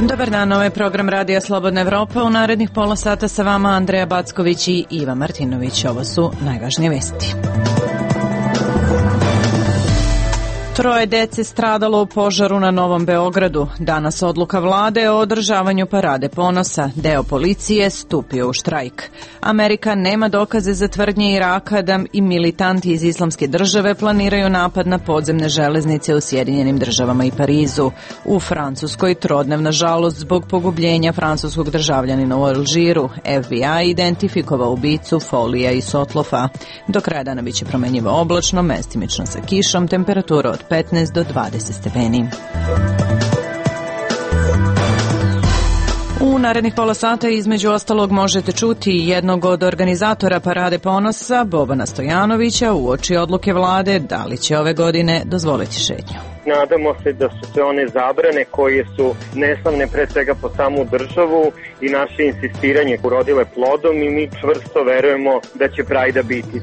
Dobar dan, ovo je program Radija Slobodna Evropa. U narednih pola sata sa vama Andreja Backović i Iva Martinović. Ovo su najvažnije vesti. 3 dece stradalo u požaru na Novom Beogradu. Danas odluka vlade o održavanju parade ponosa. Deo policije stupio u štrajk. Amerika nema dokaze za tvrdnje Iraka da i militanti iz Islamske države planiraju napad na podzemne železnice u Sjedinjenim državama i Parizu. U Francuskoj trodnevna žalost zbog pogubljenja francuskog državljanina u Alžiru. FBI identifikovao ubicu Folija i Sotlofa. Do kraja dana biće promenjivo oblačno, mestimično sa kišom, temperatura od 15 do 20 stepeni. U narednih pola sata između ostalog možete čuti jednog od organizatora Parade ponosa, Bobana Stojanovića, uoči odluke vlade da li će ove godine dozvoliti šetnju. Nadamo se da su sve one zabrane koje su neslavne pre svega po samu državu i naše insistiranje urodile plodom i mi čvrsto verujemo da će Prajda biti.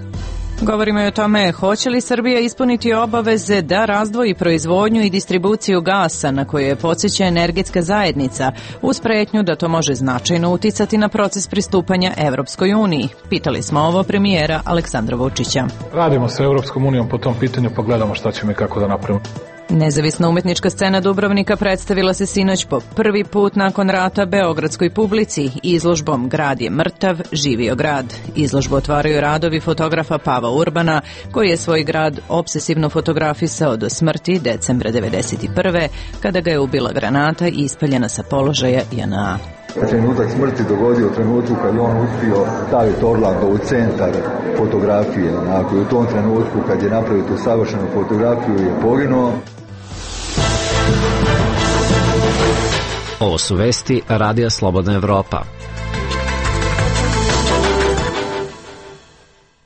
Govorimo i o tome hoće li Srbija ispuniti obaveze da razdvoji proizvodnju i distribuciju gasa na koju je podsjeća energetska zajednica uz pretnju da to može značajno uticati na proces pristupanja Evropskoj uniji. Pitali smo ovo premijera Aleksandra Vučića. Radimo sa Evropskom unijom po tom pitanju pa gledamo šta ćemo i kako da napravimo. Nezavisna umetnička scena Dubrovnika predstavila se sinoć po prvi put nakon rata beogradskoj publici izložbom Grad je mrtav, živio grad. Izložbu otvaraju radovi fotografa Pava Urbana, koji je svoj grad obsesivno fotografisao do smrti decembra 1991. kada ga je ubila granata i ispaljena sa položaja JNA. Trenutak smrti dogodio u trenutku kad je on uspio staviti Orlando u centar fotografije. Onako, u tom trenutku kad je napravio tu savršenu fotografiju je poginuo. Ovo su vesti Radija Slobodna Evropa.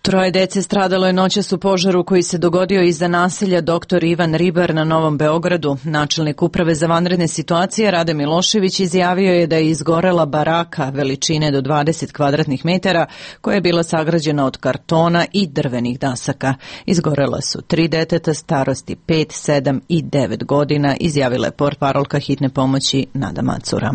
3 dece stradalo je noćas u požaru koji se dogodio iza naselja Dr. Ivan Ribar na Novom Beogradu. Načelnik Uprave za vanredne situacije Rade Milošević izjavio je da je izgorela baraka veličine do 20 kvadratnih metara koja je bila sagrađena od kartona i drvenih dasaka. Izgorela su 3 deteta starosti 5, 7 i 9 godina, izjavila je portparolka hitne pomoći Nada Macura.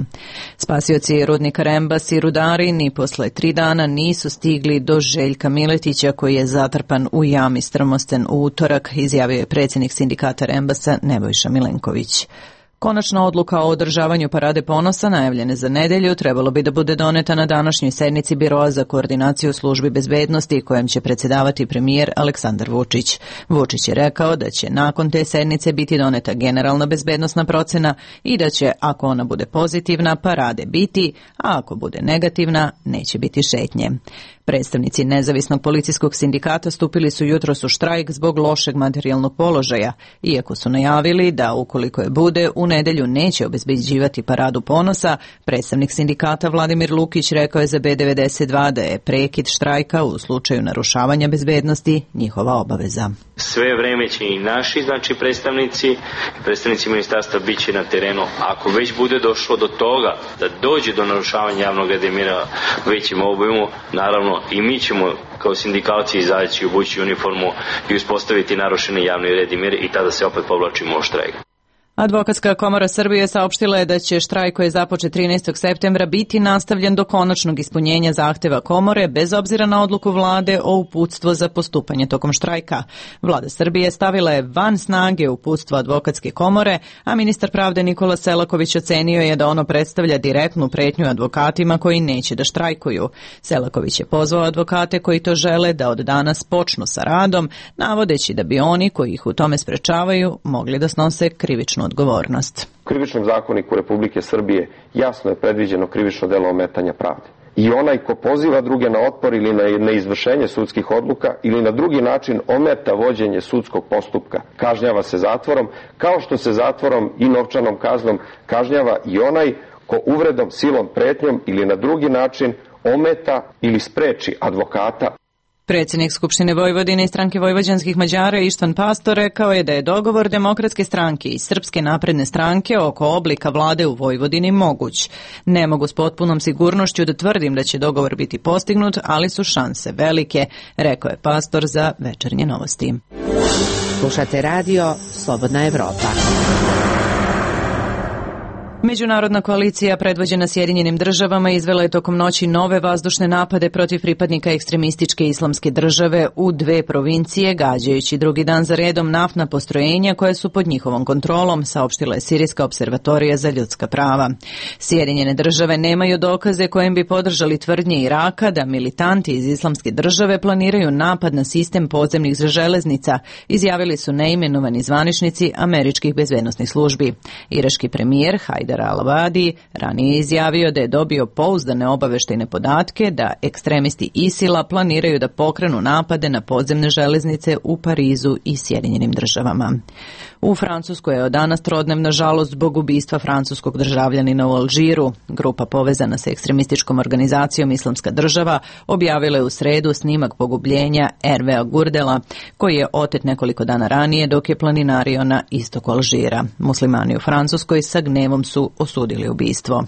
Spasioci rudnika Rembas i rudari ni posle 3 dana nisu stigli do Željka Miletića koji je zatrpan u jami Strmosten u utorak, izjavio je predsjednik sindikata Rembasa Nebojša Milenković. Konačna odluka o održavanju Parade ponosa, najavljene za nedelju, trebalo bi da bude doneta na današnjoj sednici Biroa za koordinaciju službi bezbednosti kojem će predsjedavati premijer Aleksandar Vučić. Vučić je rekao da će nakon te sednice biti doneta generalna bezbednosna procena i da će, ako ona bude pozitivna, parade biti, a ako bude negativna, neće biti šetnje. Predstavnici nezavisnog policijskog sindikata stupili su jutros u štrajk zbog lošeg materijalnog položaja, iako su najavili da ukoliko je bude, u nedelju neće obezbeđivati Paradu ponosa. Predstavnik sindikata Vladimir Lukić rekao je za B92 da je prekid štrajka u slučaju narušavanja bezbednosti njihova obaveza. Sve vreme će i naši, predstavnici ministarstva bit će na terenu. Ako već bude došlo do toga da dođe do narušavanja javnog reda i mira u većem obimu, naravno i mi ćemo kao sindikalci izaći, obući uniformu i uspostaviti narušeni javni red i mir i tada se opet povlačimo u štrajk. Advokatska komora Srbije saopštila je da će štrajk koji je započet 13. septembra biti nastavljen do konačnog ispunjenja zahteva komore bez obzira na odluku vlade o uputstvo za postupanje tokom štrajka. Vlada Srbije stavila je van snage uputstvo advokatske komore, a ministar pravde Nikola Selaković ocenio je da ono predstavlja direktnu pretnju advokatima koji neće da štrajkuju. Selaković je pozvao advokate koji to žele da od danas počnu sa radom, navodeći da bi oni koji ih u tome sprečavaju mogli da snose krivičnu odgovornost. U Krivičnom zakoniku Republike Srbije jasno je predviđeno krivično delo ometanja pravde. I onaj ko poziva druge na otpor ili na neizvršenje sudskih odluka ili na drugi način ometa vođenje sudskog postupka, kažnjava se zatvorom, kao što se zatvorom i novčanom kaznom kažnjava i onaj ko uvredom, silom, pretnjom ili na drugi način ometa ili spreči advokata. Predsjednik Skupštine Vojvodine i stranke vojvođanskih Mađara Ištvan Pastor rekao je da je dogovor Demokratske stranke i Srpske napredne stranke oko oblika vlade u Vojvodini moguć. Ne mogu s potpunom sigurnošću da tvrdim da će dogovor biti postignut, ali su šanse velike, rekao je Pastor za Večernje novosti. Slušate radio Slobodna Evropa. Međunarodna koalicija predvođena Sjedinjenim državama izvela je tokom noći nove vazdušne napade protiv pripadnika ekstremističke islamske države u 2 provincije, gađajući drugi dan za redom naftna postrojenja koje su pod njihovom kontrolom, saopštila je Sirijska observatorija za ljudska prava. Sjedinjene države nemaju dokaze kojim bi podržali tvrdnje Iraka da militanti iz islamske države planiraju napad na sistem podzemnih železnica, izjavili su neimenovani zvaničnici američkih bezbednosnih službi. Irački premijer Hajdar al-Abadi ranije izjavio da je dobio pouzdane obaveštajne podatke da ekstremisti ISIL-a planiraju da pokrenu napade na podzemne železnice u Parizu i Sjedinjenim državama. U Francuskoj je od danas trodnevna žalost zbog ubistva francuskog državljanina u Alžiru. Grupa povezana sa ekstremističkom organizacijom Islamska država objavila je u sredu snimak pogubljenja Hervea Gurdela, koji je otet nekoliko dana ranije dok je planinario na istoku Alžira. Muslimani u Francuskoj sa gnevom su osudili ubistvo.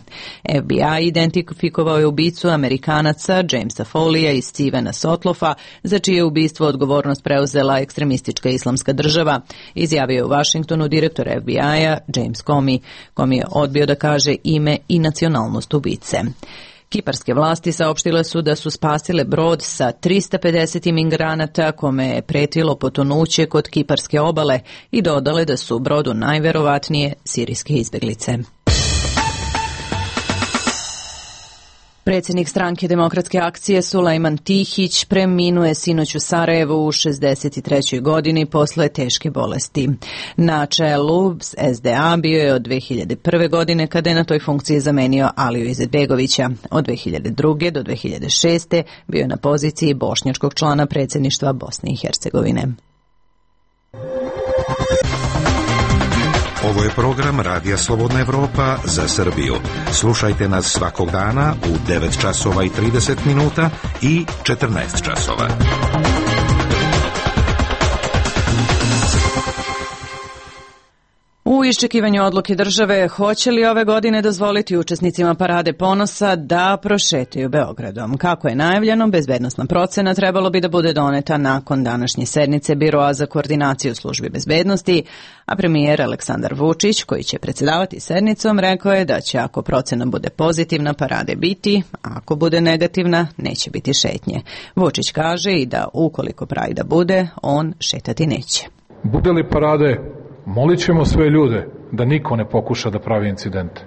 FBI identifikovao je ubicu Amerikanaca Jamesa Folija i Stevena Sotlofa, za čije ubistvo odgovornost preuzela ekstremistička Islamska država, izjavio je u Washingtonu direktor FBI-a James Comey. Comey je odbio da kaže ime i nacionalnost ubice. Kiparske vlasti saopštile su da su spasile brod sa 350 imigranata kome je pretilo potonuće kod kiparske obale i dodale da su u brodu najverovatnije sirijske izbeglice. Predsjednik stranke Demokratske akcije Sulejman Tihić preminuo je sinoć u Sarajevu u 63. godini posle teške bolesti. Na čelu SDA bio je od 2001. godine kada je na toj funkciji zamenio Aliju Izetbegovića. Od 2002. do 2006. bio je na poziciji bošnjačkog člana predsjedništva Bosne i Hercegovine. Ovo je program Radija Slobodna Evropa za Srbiju. Slušajte nas svakog dana u 9 časova i 30 minuta i 14 časova. U iščekivanju odluke države, hoće li ove godine dozvoliti učesnicima Parade ponosa da prošetaju Beogradom? Kako je najavljeno, bezbednosna procena trebalo bi da bude doneta nakon današnje sednice Biroa za koordinaciju službi bezbednosti, a premijer Aleksandar Vučić, koji će predsjedavati sednicom, rekao je da će ako procena bude pozitivna parade biti, a ako bude negativna neće biti šetnje. Vučić kaže i da ukoliko Prajda bude, on šetati neće. Bude li parade, molit ćemo sve ljude da niko ne pokuša da pravi incidente.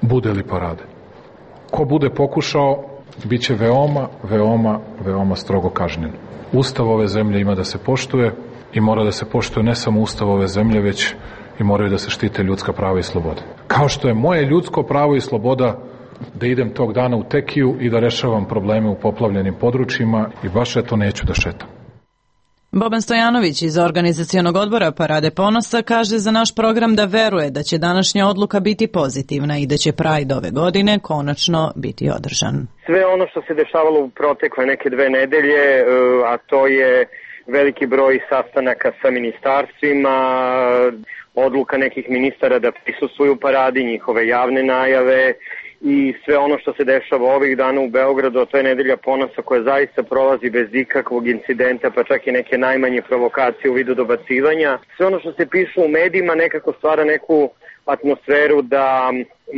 Bude li parade? Ko bude pokušao, bit će veoma strogo kažnjen. Ustav ove zemlje ima da se poštuje i mora da se poštuje ne samo Ustav ove zemlje, već i moraju da se štite ljudska prava i slobode. Kao što je moje ljudsko pravo i sloboda da idem tog dana u Tekiju i da rešavam probleme u poplavljenim područjima i baš eto neću da šetam. Boban Stojanović iz organizacionog odbora Parade ponosa kaže za naš program da veruje da će današnja odluka biti pozitivna i da će Pride ove godine konačno biti održan. Sve ono što se dešavalo u protekle neke 2 nedelje, a to je veliki broj sastanaka sa ministarstvima, odluka nekih ministara da prisustvuju paradi, njihove javne najave i sve ono što se dešava ovih dana u Beogradu, a to je nedelja ponosa koja zaista prolazi bez ikakvog incidenta, pa čak i neke najmanje provokacije u vidu dobacivanja. Sve ono što se piše u medijima nekako stvara neku atmosferu da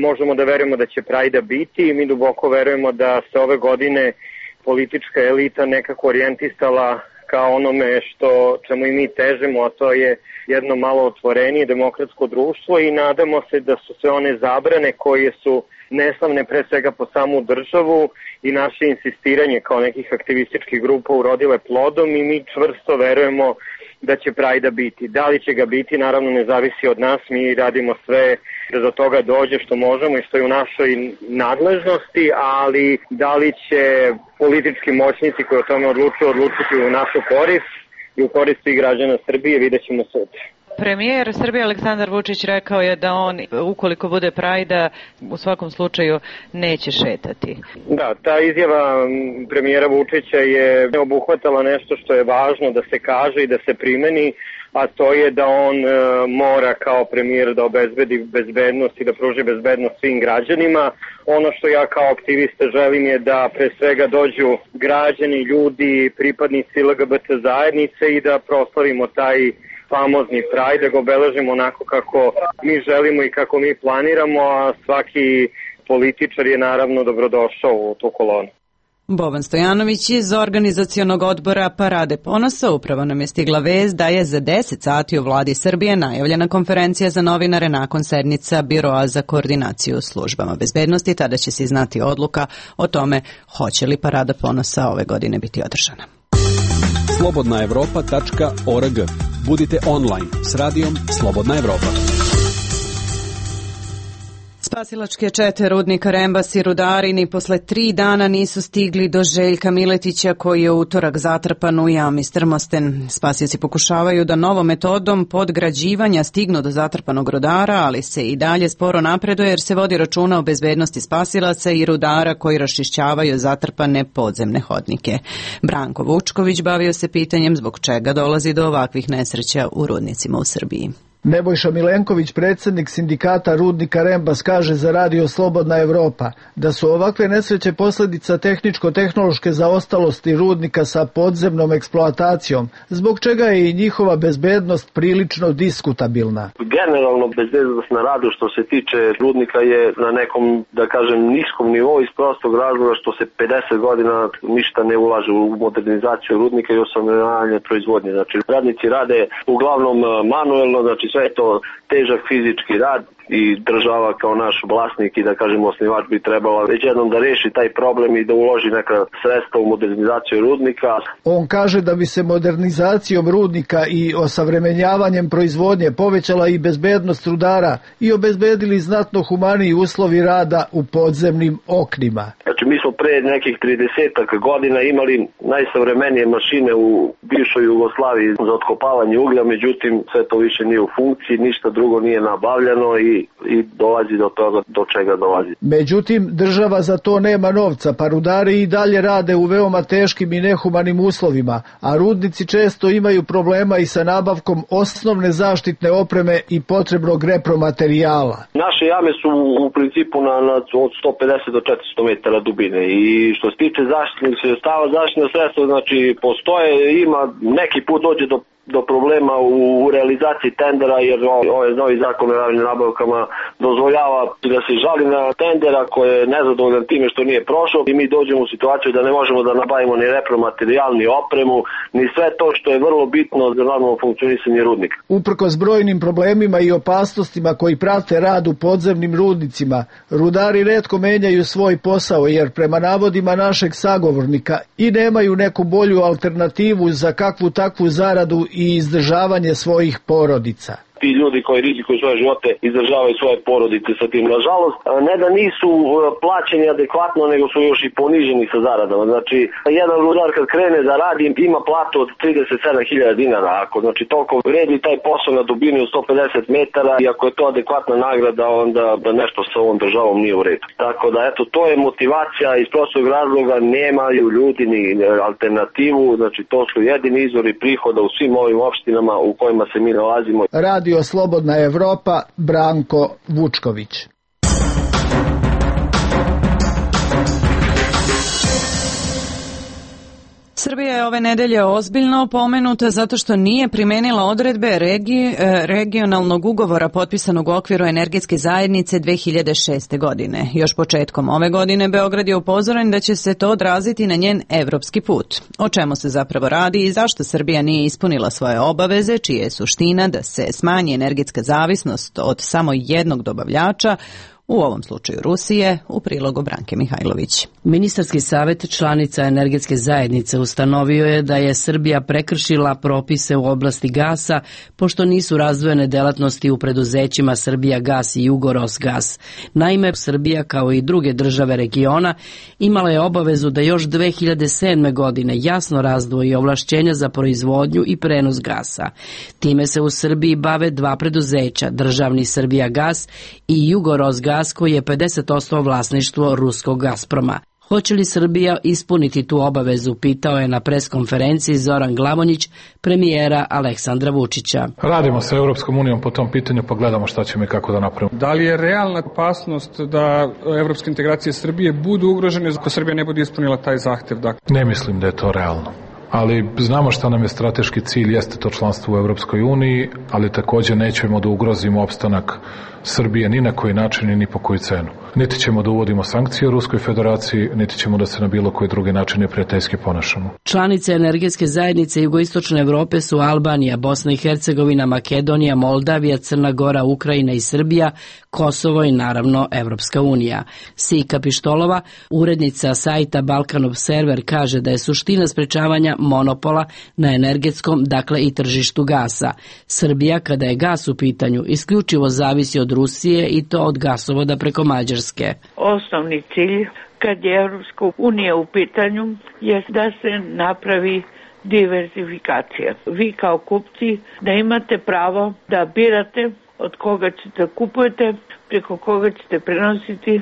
možemo da verujemo da će Prajda biti i mi duboko verujemo da se ove godine politička elita nekako orijentisala kao onome čemu i mi težimo, a to je jedno malo otvorenije demokratsko društvo i nadamo se da su sve one zabrane koje su neslavne pre svega po samu državu i naše insistiranje kao nekih aktivističkih grupa urodile plodom i mi čvrsto verujemo da će Prajda biti. Da li će ga biti, naravno ne zavisi od nas, mi radimo sve da do toga dođe što možemo i što je u našoj nadležnosti, ali da li će politički moćnici koji o tome odlučiti u našu korist i u korist svih građana Srbije, vidjet ćemo sutra. Premijer Srbije Aleksandar Vučić rekao je da on, ukoliko bude Prajda, u svakom slučaju neće šetati. Da, ta izjava premijera Vučića je obuhvatala nešto što je važno da se kaže i da se primeni, a to je da on mora kao premijer da obezbedi bezbednost i da pruži bezbednost svim građanima. Ono što ja kao aktivista želim je da pre svega dođu građani, ljudi, pripadnici LGBT zajednice i da proslavimo taj famozni Pride, da ga obeležimo onako kako mi želimo i kako mi planiramo, a svaki političar je naravno dobrodošao u tu kolonu. Boban Stojanović iz organizacionog odbora Parade ponosa upravo nam je stigla vest da je za 10 sati u vladi Srbije najavljena konferencija za novinare nakon sednica Biroa za koordinaciju službama bezbednosti. Tada će se znati odluka o tome hoće li Parada ponosa ove godine biti održana. slobodnaevropa.org. Budite online s radijom Slobodna Evropa. Spasilačke čete rudnika Rembas i rudari ni posle 3 dana nisu stigli do Željka Miletića koji je u utorak zatrpan u jami Strmosten. Spasioci pokušavaju da novom metodom podgrađivanja stignu do zatrpanog rudara, ali se i dalje sporo napreduje jer se vodi računa o bezbednosti spasilaca i rudara koji raščišćavaju zatrpane podzemne hodnike. Branko Vučković bavio se pitanjem zbog čega dolazi do ovakvih nesreća u rudnicima u Srbiji. Nebojša Milenković, predsjednik sindikata rudnika Rembas, kaže za radio Slobodna Evropa da su ovakve nesreće posljedica tehničko-tehnološke zaostalosti rudnika sa podzemnom eksploatacijom, zbog čega je i njihova bezbednost prilično diskutabilna. Generalno bezbednost na radu što se tiče rudnika je na nekom, da kažem, niskom nivou iz prostog razloga što se 50 godina ništa ne ulaže u modernizaciju rudnika i osavremenjavanje proizvodnje. Znači, radnici rade uglavnom manuelno, znači sve je to težak fizički rad i država kao naš vlasnik i da kažemo osnivač bi trebala već jednom da reši taj problem i da uloži neka sredstva u modernizaciju rudnika. On kaže da bi se modernizacijom rudnika i osavremenjavanjem proizvodnje povećala i bezbednost rudara i obezbedili znatno humaniji uslovi rada u podzemnim oknima. Znači mi smo pre nekih 30 godina imali najsavremenije mašine u bivšoj Jugoslaviji za otkopavanje uglja, međutim sve to više nije u funkciji, ništa drugo nije nabavljano i dolazi do toga do čega dolazi. Međutim, država za to nema novca, pa rudari i dalje rade u veoma teškim i nehumanim uslovima, a rudnici često imaju problema i sa nabavkom osnovne zaštitne opreme i potrebnog repromaterijala. Naše jame su u principu od 150 do 400 metara dubine i što se tiče zaštitnih sredstava, zaštitna sredstva, znači postoje, ima neki put dođe do problema u realizaciji tendera jer ovaj novi zakon o javnim nabavkama dozvoljava da se žali na tendera koji je nezadovoljan time što nije prošao i mi dođemo u situaciju da ne možemo da nabavimo ni repromaterijal, ni opremu, ni sve to što je vrlo bitno za normalno funkcionisanje rudnika. Uprkos brojnim problemima i opasnostima koji prate rad u podzemnim rudnicima, rudari retko menjaju svoj posao jer prema navodima našeg sagovornika i nemaju neku bolju alternativu za kakvu takvu zaradu i izdržavanje svojih porodica. Ti ljudi koji rizikuju svoje živote izdržavaju svoje porodice sa tim. Nažalost, ne da nisu plaćeni adekvatno, nego su još i poniženi sa zaradama. Znači, jedan rudar kad krene da radi ima platu od 37.000 dinara. Ako znači toliko vredi taj posao na dubini od 150 metara i ako je to adekvatna nagrada, onda nešto sa ovom državom nije u redu. Tako da, eto, to je motivacija iz prostog razloga, nemaju ljudi ni alternativu, znači to su jedini izvori prihoda u svim ovim opštinama u kojima se mi nalazimo. Radio Slobodna Evropa, Branko Vučković. Srbija je ove nedelje ozbiljno opomenuta zato što nije primenila odredbe regionalnog ugovora potpisanog u okviru energetske zajednice 2006. godine. Još početkom ove godine Beograd je upozoren da će se to odraziti na njen evropski put. O čemu se zapravo radi i zašto Srbija nije ispunila svoje obaveze, čija je suština da se smanji energetska zavisnost od samo jednog dobavljača, u ovom slučaju Rusije, u prilogu Branke Mihajlović. Ministarski savet članica energetske zajednice ustanovio je da je Srbija prekršila propise u oblasti gasa, pošto nisu razdvojene delatnosti u preduzećima Srbijagas i Jugorosgas. Naime, Srbija, kao i druge države regiona, imala je obavezu da još 2007. godine jasno razdvoji ovlašćenja za proizvodnju i prenos gasa. Time se u Srbiji bave dva preduzeća, državni Srbijagas i Jugorosgas, koji je 50% vlasništvo ruskog Gazproma. Hoće li Srbija ispuniti tu obavezu, pitao je na preskonferenciji Zoran Glavonjić, premijera Aleksandra Vučića. Radimo sa Evropskom unijom po tom pitanju, pa gledamo šta ćemo i kako da napravimo. Da li je realna opasnost da evropske integracije Srbije budu ugrožene ako Srbija ne bude ispunila taj zahtev? Ne mislim da je to realno. ali znamo šta nam je strateški cilj, jeste to članstvo u Evropskoj uniji, ali takođe nećemo da ugrozimo opstanak Srbije ni na koji način i ni po koju cenu. Niti ćemo da uvodimo sankcije u Ruskoj federaciji, niti ćemo da se na bilo koji drugi način neprijateljski ponašamo. Članice energetske zajednice Jugoistočne Evrope su Albanija, Bosna i Hercegovina, Makedonija, Moldavija, Crna Gora, Ukrajina i Srbija, Kosovo i naravno Evropska unija. Sika Pištolova, urednica sajta Balkan Observer, kaže da je suština sprečavanja monopola na energetskom, dakle i tržištu gasa. Srbija, kada je gas u pitanju, isključivo zavisi od Rusije i to od gasovoda preko Mađarske. Osnovni cilj kad je Evropska unija u pitanju je da se napravi diversifikacija. Vi kao kupci da imate pravo da birate od koga ćete kupujete, preko koga ćete prenositi,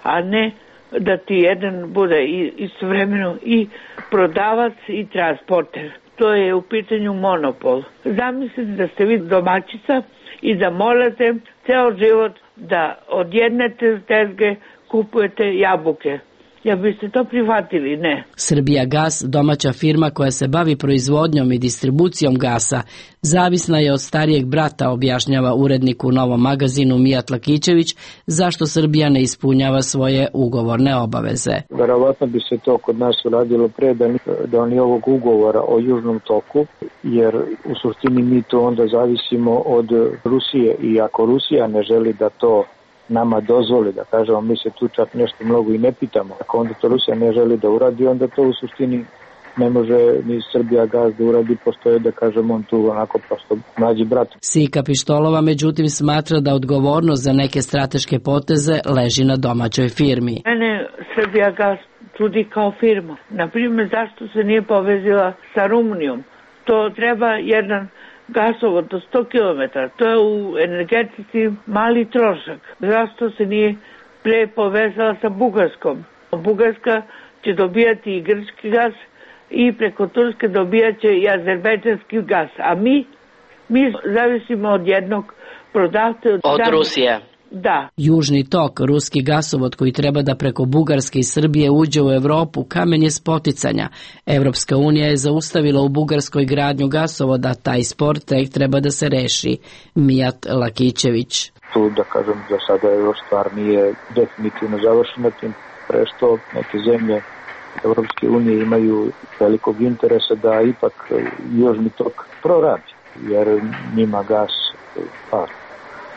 a ne da ti jedan bude istovremeno i prodavac i transporter. To je u pitanju monopol. Zamislite da ste vi domaćica i da morate ceo život da od jedne tezge kupujete jabuke. Ja biste to prihvatili, ne. Srbija gas, domaća firma koja se bavi proizvodnjom i distribucijom gasa, zavisna je od starijeg brata, objašnjava urednik u Novom magazinu Mijat Lakićević, zašto Srbija ne ispunjava svoje ugovorne obaveze. Verovatno bi se to kod nas uradilo pre da ni ovog ugovora o Južnom toku, jer u suštini mi to onda zavisimo od Rusije i ako Rusija ne želi da to nama dozvoli, da kažemo, mi se tu čak nešto mnogo i ne pitamo. Ako onda to Rusija ne želi da uradi, onda to u suštini ne može ni Srbija gas da uradi, postoje, da kažemo, on tu onako prosto mlađi brat. Sika Pištolova međutim smatra da odgovornost za neke strateške poteze leži na domaćoj firmi. Mene Srbija gas čudi kao firma. Naprimjer, zašto se nije povezila sa Rumunijom? To treba jedan gasovod do 100 km, to je u energetici mali trošak. Zašto se nije pre povezala sa Bugarskom? Bugarska će dobijati i grčki gas i preko Turske dobijaće i azerbejdžanski gas, a mi zavisimo od jednog prodavca od Rusije. Da. Južni tok, ruski gasovod koji treba da preko Bugarske i Srbije uđe u Evropu, kamen je spoticanja. Evropska unija je zaustavila u Bugarskoj gradnju gasovoda, taj spor tek treba da se reši. Mijat Lakićević. Tu, da kažem, za sada još stvar nije definitivno završena, tim pre što neke zemlje Evropske unije imaju velikog interesa da ipak južni tok proradi, jer njima gas par.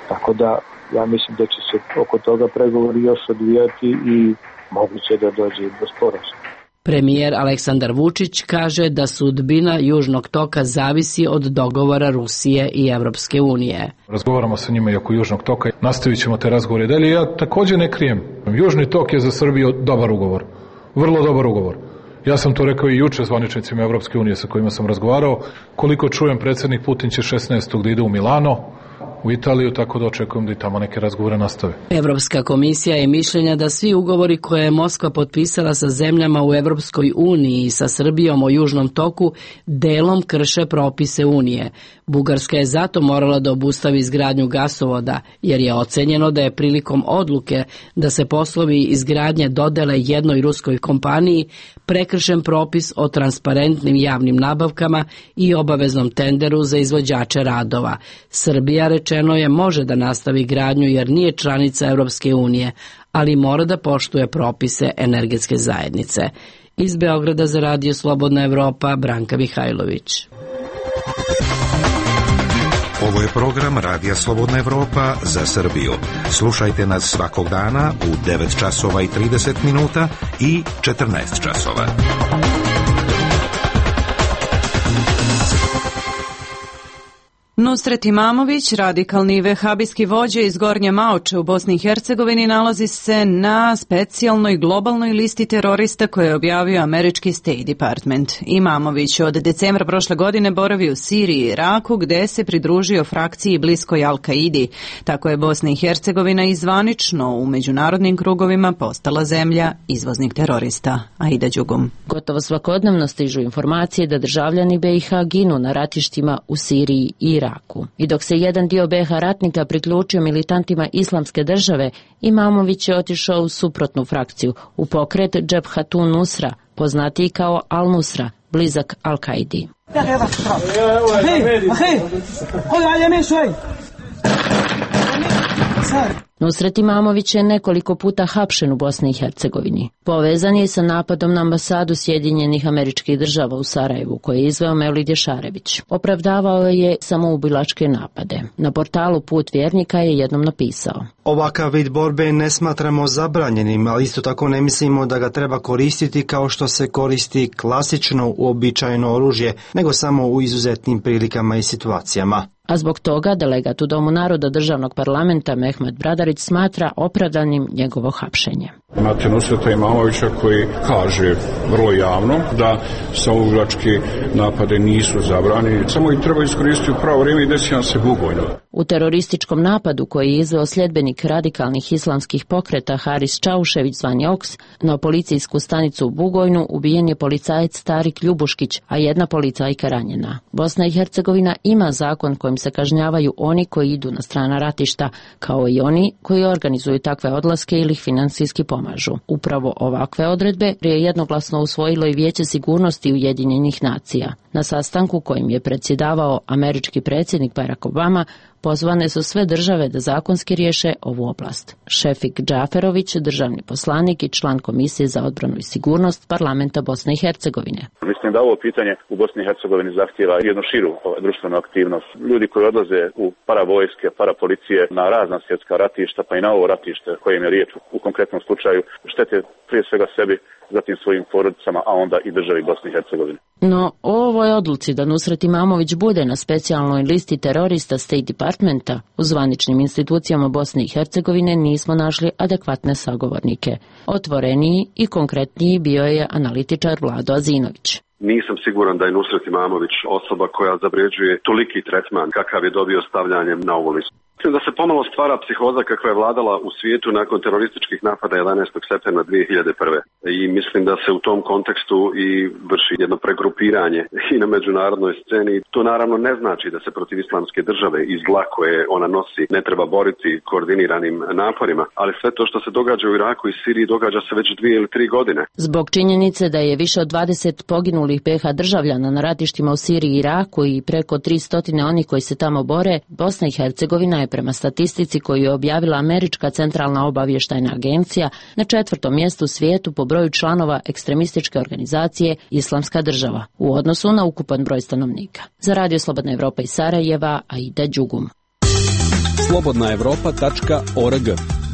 Tako da ja mislim da će se oko toga pregovori još odvijati i moguće da dođe do sporazuma. Premijer Aleksandar Vučić kaže da sudbina Južnog toka zavisi od dogovora Rusije i Evropske unije. Razgovaramo sa njima i oko Južnog toka. Nastavit ćemo te razgovore dalje. Ja takođe ne krijem. Južni tok je za Srbiju dobar ugovor. Vrlo dobar ugovor. Ja sam to rekao i juče zvaničnicima Evropske unije sa kojima sam razgovarao. Koliko čujem, predsjednik Putin će 16. da ide u Milano, u Italiju, tako da očekujem da i tamo neke razgovore nastave. Evropska komisija je mišljenja da svi ugovori koje je Moskva potpisala sa zemljama u Evropskoj uniji i sa Srbijom o Južnom toku delom krše propise Unije. Bugarska je zato morala da obustavi izgradnju gasovoda, jer je ocenjeno da je prilikom odluke da se poslovi izgradnje dodele jednoj ruskoj kompaniji prekršen propis o transparentnim javnim nabavkama i obaveznom tenderu za izvođače radova. Srbija, rečeno je, može da nastavi gradnju jer nije članica Evropske unije, ali mora da poštuje propise energetske zajednice. Iz Beograda za Radio Slobodna Evropa, Branka Mihajlović. Ovo je program Radija Slobodna Evropa za Srbiju. Slušajte nas svakog dana u 9 časova i 30 minuta i 14 časova. Nusret Imamović, radikalni vehabijski vođa iz Gornje Maoče u Bosni i Hercegovini, nalazi se na specijalnoj globalnoj listi terorista koje je objavio američki State Department. Imamović od decembra prošle godine boravi u Siriji i Iraku, gde se pridružio frakciji bliskoj Al-Kaidi. Tako je Bosna i Hercegovina izvanično u međunarodnim krugovima postala zemlja izvoznik terorista. Aida Đugum. Gotovo svakodnevno stižu informacije da državljani BiH ginu na ratištima u Siriji i Iraku. I dok se jedan dio BiH ratnika priključio militantima Islamske države, Imamović je otišao u suprotnu frakciju, u pokret Džebhatun Nusra, poznatiji kao Al-Nusra, blizak Al-Kaidi. Nusret Imamović je nekoliko puta hapšen u Bosni i Hercegovini. Povezan je sa napadom na ambasadu Sjedinjenih Američkih Država u Sarajevu, koje je izveo Mevlid Ješarević. Opravdavao je samoubilačke napade. Na portalu Put vjernika je jednom napisao: Ovakav vid borbe ne smatramo zabranjenim, ali isto tako ne mislimo da ga treba koristiti kao što se koristi klasično uobičajeno oružje, nego samo u izuzetnim prilikama i situacijama. A zbog toga delegat u Domu naroda državnog parlamenta Mehmet Bradarić smatra opravdanim njegovo hapšenje. Imate Nusreta Imamovića koji kaže vrlo javno da samoubilački napade nisu zabranjeni, samo ih treba iskoristiti u pravo vrijeme i desiti nam se Bugojno. U terorističkom napadu koji je izveo sljedbenik radikalnih islamskih pokreta Haris Čaušević zvani Oks na policijsku stanicu u Bugojnu ubijen je policajac Tarik Ljubuškić, a jedna policajka ranjena. Bosna i Hercegovina ima zakon kojim se kažnjavaju oni koji idu na strana ratišta, kao i oni koji organizuju takve odlaske ili ih financijski pomažu. Upravo ovakve odredbe je jednoglasno usvojilo i Vijeće sigurnosti Ujedinjenih nacija. Na sastanku kojim je predsjedavao američki predsjednik Barack Obama, pozvane su sve države da zakonski riješe ovu oblast. Šefik Džaferović, državni poslanik i član Komisije za odbranu i sigurnost parlamenta Bosne i Hercegovine. Mislim da ovo pitanje u Bosni i Hercegovini zahtijeva jednu širu društvenu aktivnost. Ljudi koji odlaze u paravojske, parapolicije na razna svjetska ratišta, pa i na ovo ratište kojem je riječ u konkretnom slučaju, štete prije svega sebi, zatim svojim porodicama, a onda i državi Bosne i Hercegovine. No, o ovoj odluci da Nusret Imamović bude na specijalnoj listi terorista State Departmenta u zvaničnim institucijama Bosne i Hercegovine nismo našli adekvatne sagovornike. Otvoreniji i konkretniji bio je analitičar Vlado Azinović. Nisam siguran da je Nusret Imamović osoba koja zavređuje toliki tretman kakav je dobio stavljanjem na ovu listu. Mislim da se pomalo stvara psihoza kakva je vladala u svijetu nakon terorističkih napada 11. septembra 2001. I mislim da se u tom kontekstu i vrši jedno pregrupiranje i na međunarodnoj sceni. To naravno ne znači da se protiv islamske države i zla koje ona nosi ne treba boriti koordiniranim naporima, ali sve to što se događa u Iraku i Siriji događa se već 2 ili 3 godine. Zbog činjenice da je više od 20 poginulih BiH državljana na ratištima u Siriji i Iraku i preko 300 onih koji se tamo bore, Bosna i Hercegovina je prema statistici koju je objavila Američka centralna obavještajna agencija na 4. mjestu u svijetu po broju članova ekstremističke organizacije Islamska država u odnosu na ukupan broj stanovnika. Za Radio Slobodna Evropa iz Sarajeva, Aida Đugum. slobodnaevropa.org.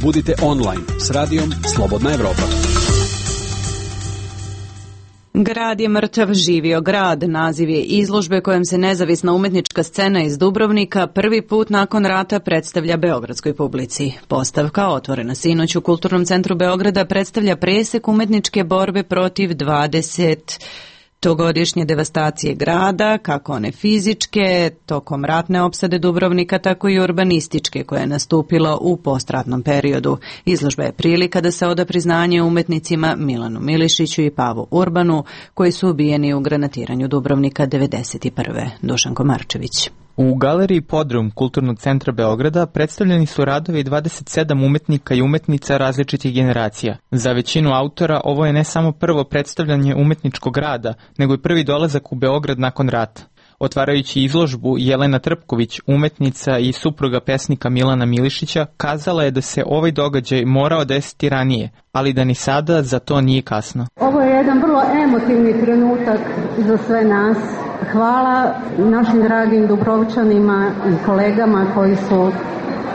Budite online s radijom Slobodna Evropa. Grad je mrtav, živio grad. Naziv je izložbe kojom se nezavisna umjetnička scena iz Dubrovnika prvi put nakon rata predstavlja beogradskoj publici. Postavka, otvorena sinoć u Kulturnom centru Beograda, predstavlja presek umjetničke borbe protiv 20-godišnje devastacije grada, kako one fizičke, tokom ratne opsade Dubrovnika, tako i urbanističke, koja je nastupila u postratnom periodu. Izložba je prilika da se oda priznanje umjetnicima Milanu Milišiću i Pavu Urbanu, koji su ubijeni u granatiranju Dubrovnika 1991. Dušanko Marčević. U galeriji Podrum Kulturnog centra Beograda predstavljeni su radovi 27 umetnika i umetnica različitih generacija. Za većinu autora ovo je ne samo prvo predstavljanje umetničkog rada, nego i prvi dolazak u Beograd nakon rata. Otvarajući izložbu, Jelena Trpković, umetnica i supruga pesnika Milana Milišića, kazala je da se ovaj događaj morao desiti ranije, ali da ni sada za to nije kasno. Ovo je jedan vrlo emotivni trenutak za sve nas. Hvala našim dragim Dubrovčanima i kolegama koji su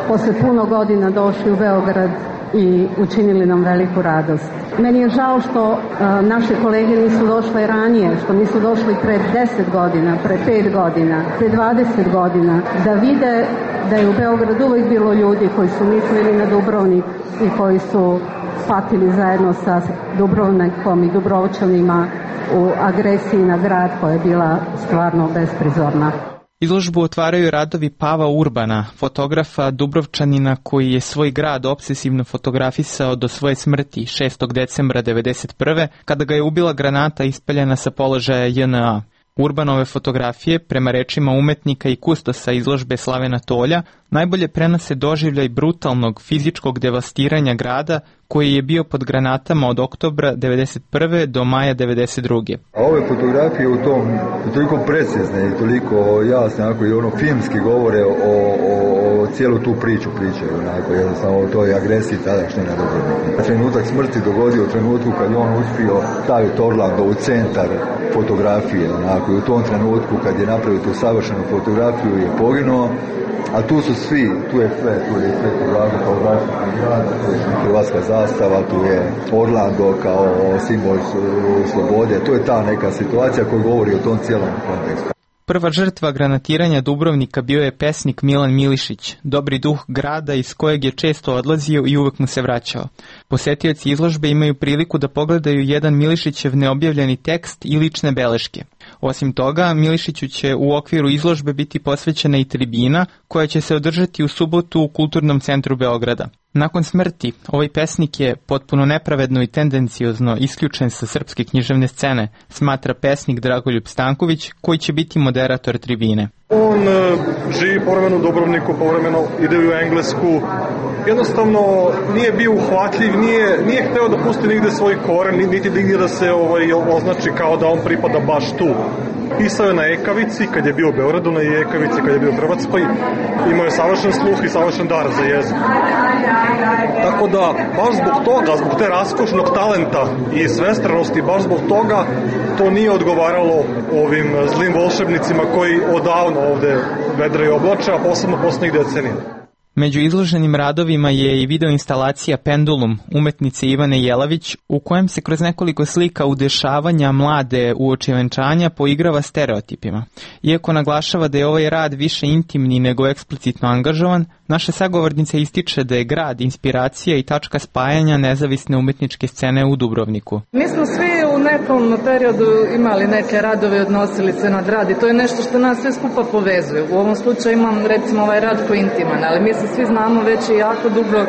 posle puno godina došli u Beograd i učinili nam veliku radost. Meni je žao što naše kolege nisu došle ranije, što nisu došli pre 10 godina, pre 5 godina, pre 20 godina, da vide da je u Beogradu uvijek bilo ljudi koji su mislili na Dubrovnik i koji su patili zajedno sa Dubrovnikom i Dubrovčanima u agresiji na grad koja je bila stvarno besprizorna. Izložbu otvaraju radovi Pava Urbana, fotografa Dubrovčanina koji je svoj grad obsesivno fotografisao do svoje smrti 6. decembra 1991. kada ga je ubila granata ispaljena sa položaja JNA. Urbanove fotografije, prema rečima umetnika i kustosa izložbe Slavena Tolja, najbolje prenose doživljaj brutalnog fizičkog devastiranja grada koji je bio pod granatama od oktobra 1991. do maja 1992. A ove fotografije u tom toliko precizne i toliko jasne, onako i ono filmski govore o cijelu tu priču pričaju, onako jednostavno o toj agresiji tadašnje na Dubrovnik. Trenutak smrti dogodio u trenutku kad je on uspio staviti Orlando u centar fotografije, onako, i u tom trenutku kad je napravio tu savršenu fotografiju je poginuo, a tu su svi, tu je sve Vlado kao zaštitnik grada, tu je hrvatska zastava, tu je Orlando kao simbol slobode, to je ta neka situacija koja govori o tom cijelom kontekstu. Prva žrtva granatiranja Dubrovnika bio je pesnik Milan Milišić, dobri duh grada iz kojeg je često odlazio i uvek mu se vraćao. Posetioci izložbe imaju priliku da pogledaju jedan Milišićev neobjavljeni tekst i lične beleške. Osim toga, Milišiću će u okviru izložbe biti posvećena i tribina koja će se održati u subotu u Kulturnom centru Beograda. Nakon smrti, ovaj pesnik je potpuno nepravedno i tendenciozno isključen sa srpske književne scene, smatra pesnik Dragoljub Stanković, koji će biti moderator tribine. On živi povremeno u Dubrovniku, povremeno ide u Englesku. Jednostavno nije bio uhvatljiv, nije hteo da pusti nigde svoj koren, niti nigde da se označi kao da on pripada baš tu. Pisao je na ekavici, kad je bio u Beogradu, na ekavici kad je bio u Hrvatskoj. Imao je savršen sluh i savršen dar za jezik. Tako da, baš zbog toga, zbog te raskošnog talenta i svestranosti, baš zbog toga to nije odgovaralo ovim zlim volšebnicima koji odavno ovde vedraju oblače, a posebno poslednjih decenija. Među izloženim radovima je i videoinstalacija Pendulum umetnice Ivane Jelavić, u kojem se kroz nekoliko slika udešavanja mlade uoči venčanja poigrava stereotipima. Iako naglašava da je ovaj rad više intimni nego eksplicitno angažovan, naša sagovornica ističe da je grad inspiracija i tačka spajanja nezavisne umetničke scene u Dubrovniku. Mi smo svi u nekom periodu imali neke radove i odnosili se na grad i to je nešto što nas sve skupa povezuje. U ovom slučaju imam recimo ovaj rad koji je intiman, ali mi se svi znamo već i jako dugo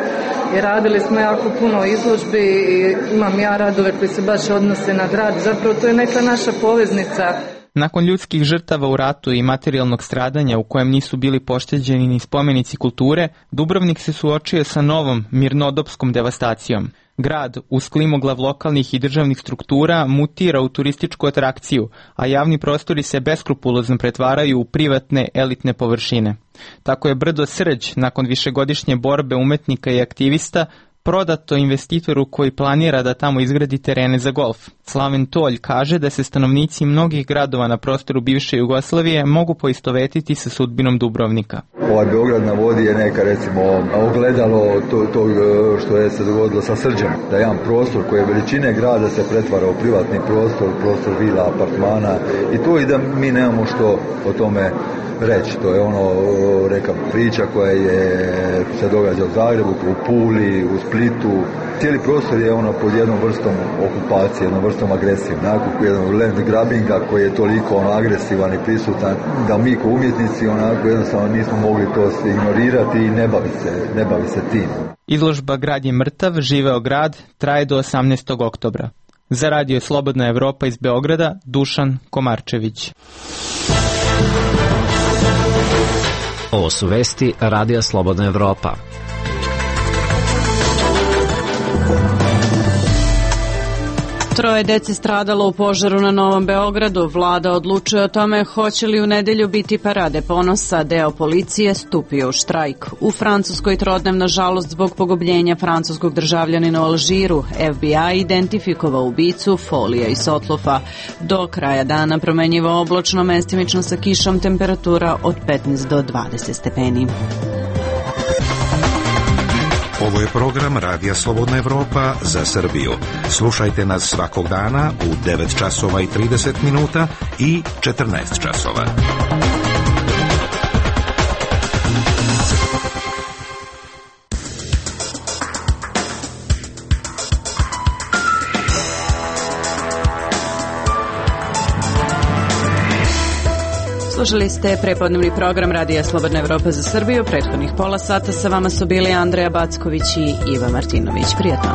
i radili smo jako puno izložbi i imam ja radove koji se baš odnose na grad. Zapravo to je neka naša poveznica. Nakon ljudskih žrtava u ratu i materijalnog stradanja u kojem nisu bili pošteđeni ni spomenici kulture, Dubrovnik se suočio sa novom mirnodopskom devastacijom. Grad, uz klimoglav lokalnih i državnih struktura, mutira u turističku atrakciju, a javni prostori se beskrupulozno pretvaraju u privatne elitne površine. Tako je brdo Srđ, nakon višegodišnje borbe umetnika i aktivista, prodato investitoru koji planira da tamo izgradi terene za golf. Slaven Tolj kaže da se stanovnici mnogih gradova na prostoru bivše Jugoslavije mogu poistovetiti sa sudbinom Dubrovnika. Ovaj Beograd na vodi je neka recimo ogledalo to što je se dogodilo sa Srđem. Da jedan prostor koji je veličine grada se pretvara u privatni prostor vila, apartmana i to i da mi nemamo što o tome reći. To je neka priča koja se događa u Zagrebu, u Puli, u Splitu. Cijeli prostor je pod jednom vrstom okupacije, jednom vrstom agresije, jednom land grabbinga koji je toliko agresivan i prisutan da mi kao umjetnici jednostavno nismo mogli to ignorirati i ne bavi se tim. Izložba Grad je mrtav, živeo grad traje do 18. oktobra. Za radio Slobodna Evropa iz Beograda, Dušan Komarčević. Ovo su vesti Radija Slobodna Evropa. Troje dece stradalo u požaru na Novom Beogradu. Vlada odlučuje o tome hoće li u nedelju biti parade ponosa. Deo policije stupio u štrajk. U Francuskoj trodnevna žalost zbog pogubljenja francuskog državljanina u Alžiru. FBI identifikovao ubicu Folija i Sotlofa. Do kraja dana promenjivo oblačno, mestimično sa kišom, temperatura od 15 do 20 stepeni. Ovo je program Radija Slobodna Evropa za Srbiju. Slušajte nas svakog dana u 9 časova i 30 minuta i 14 časova. Slušali ste prepodnevni program Radija Slobodna Evropa za Srbiju. Prethodnih pola sata sa vama su bili Andreja Backović i Iva Martinović. Prijatno.